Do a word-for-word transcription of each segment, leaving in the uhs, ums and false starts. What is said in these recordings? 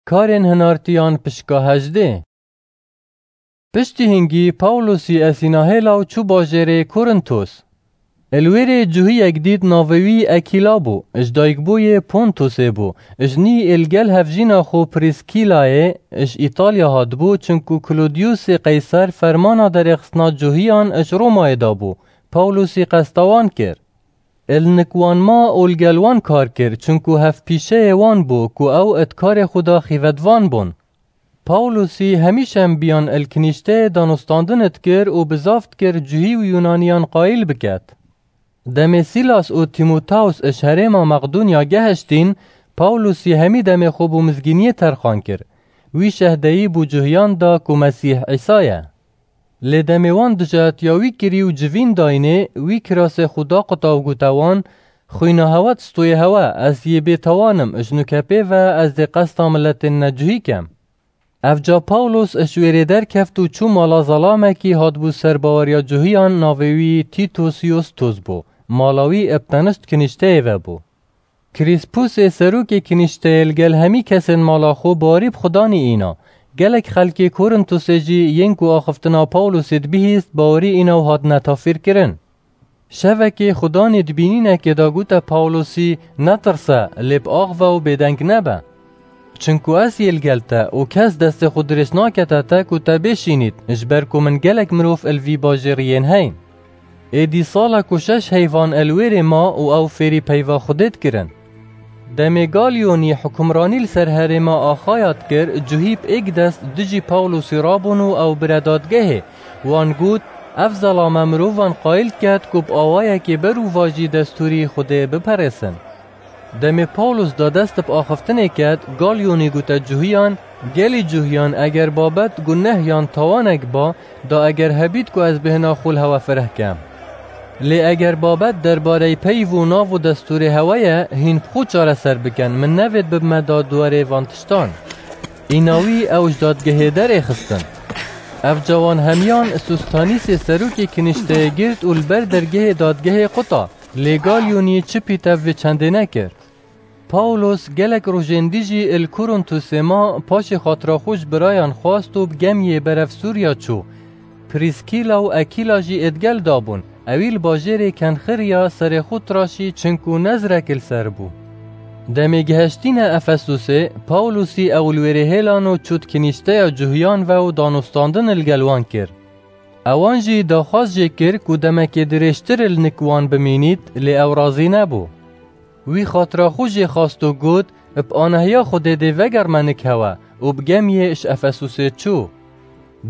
Karên hinartiyan pişka hejdê. Piştî hingî Pawlosî esîna hêla û çû bajêrê Korintos. Li wê rê cihiyek dît navê wî Ekîla bû, ji dayikbûyê Pontosê bû, ji nî li gel hevjîna xwe Prîskîlayê ji Îtalya hatibû, çinku Klodiyusê Qeyser fermana derêxistina cihiyan ji Romayê dabû, Pawlosî qesta wan kir. Li nik wan ma û li gel wan kar kir, çinku hevpîşeyê wan bû ku ew di karê xwe de xîvetvan bûn. Pawlosî hemîşe em biyan li kinîşteyê danûstandin dikir û bizav dikir cihî û Yunaniyan qayîl biket. Demê Sîlas û Tîmoteus ji herêma Maqdûnya gehiştîn, Pawlosî hemî demê xwe bo mizgîniyê terxan kir. Wî şehdeyî bo cihiyan da ku Mesîh Îsa ye. Lê demê wan dijatiya wî kirî û civîn dayînê, wî kirasê xwe daquta û gote wan, Xwîna hewe di stoyê hewe, ez yê bêtewan im, ji nuke pê ve ez dê qesta miletên necihî kem. Evca Pawlos ji wê rê derkeft û çû mala zelamekî hatibû ser baweriya cihiyan, navê wî Tîtos Yustos bû. Mala wî bi tenişt kinîşteyê ve bû. Krîspûsê serokê kinîşteyê li gel hemî kesên mala xwe bawerî bi Xudanî îna. Gelek xelkê Korintosê jî yên ku axiftina Pawlosê dibihîst, bawerî îna û hatine tafîrkirin. Şevekê Xudanî di bînînekê de gote Pawlosî, Netirse, lê bi ax ve û bêdeng nebe. Çinku ez yê li gel te û kes destê xwe dirêj nakete te ku te bêşînît, ji ber ku min gelek mirov li vî bajêrî yên heyn. Êdî sala ku şeş heyvan li wê rê ma û ew fêrî peyva Xwedê dikirin. Demê Galyonî hukimranî li ser herêma Axaya dikir, cihî bi êk dest dijî Pawlosî rabûn û ew bire dadgehê. Wan got, Ev zelame mirovan qayîl diket ku bi awayekê berûvajî destûrî Xwedê biperêsin. Demê Pawlos da dest bi axiftinê ket, Galyonî gote cihiyan, Gelî cihiyan, eger babet guneh yan tawanek ba, da eger hebît ku ez bêhna xwe li hewe fireh kem. Lê eger babet derbarey peyv û nav û destûrê hewe ye, hîn bi xwe çareser bikin, min nevêt bibime dadwerê van tiştan. Îna wî ew ji dadgehê derêxistin. Evca wan hemiyan Sostanîsê serokê kinîşteyê girt û li ber dergehê dadgehê quta, lê Galyonî çi pîtev vê çendê nekir. Pawlos gelek rojên dî jî li Korintosê ma, paşê xatira xwe ji birayan xwast û bi gemiyê berev Sûriya çû. Prîskîla û Ekîla jî êdgel dabûn. Ewî li bajêrê Kenxiriya serê xwe tiraşî, çinku nezrek li ser bû. Demê gihiştîne Efesûsê, Pawlosî ew li wêrê hêlan û çût kinîşteya Cuhiyan ve û danûstandin li gel wan kir. Ewan jî daxwaz jê kir ku demekê dirêjtir li nik wan bimînît, lê ew razî nebû. Wî xatira xwe jê xwast û got, Bi anahiya Xwedê dê vegerme nik hewe û bi gemiyê ji Efesûsê çû.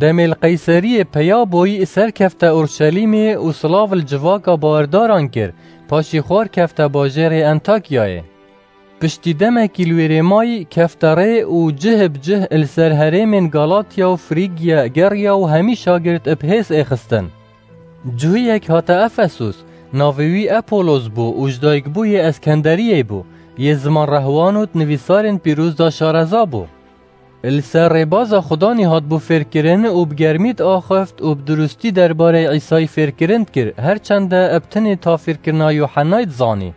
Demê li Qeyseriyê peya bûyî, serkefte Urşelîmê û silav li civaka bawerdaran kir, paşî xwar kefte bajêrê Entakyayê. Piştî demekî li wêrê mayî, kefte rê û cih bi cih li ser herêmên Galatya û Frîgya geriya û hemî şagirt bi hêz êxistin. Cihiyek hate Efesus, navê wî Epolos bû û ji dayikbûyê Eskenderiyê bû, yê ziman rehwan û di nivîsarên pîroz de şareza bû. Li ser rêbaza Xudanî hatibû fêrkirin û bi germî diaxift û bi dirustî derbarê Îsayî fêrkirin dikir, her çende bi tinê tafîrkirina Yuhennayê dizanî.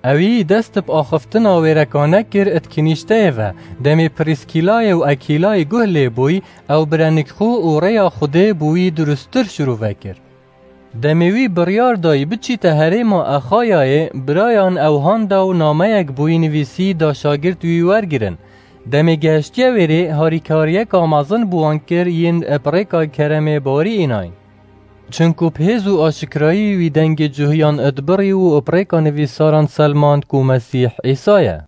Ewî dest bi axiftina wêrekane kir di kinîşteyê ve, demê Prîskîlayê û Ekîlayê guh lê bûy, ew bire nik xwe û rêya Xwedê bo wî dirusttir şirove kir. Demê wî biryar dayî biçîte herêma Exayayê, birayan ew handa û nameyek bo wî nivîsî da şagirt wî wergirin. Demê gehiştiye wêrê, harîkariyeka mezin bi wan kir yên bi rêka keremê bawerî înayn. Çinku bi hêz û aşikrayî wî dengê cuhiyan dibirî û bi rêka nivîsaran selmand ku Mesîh Îsa ye.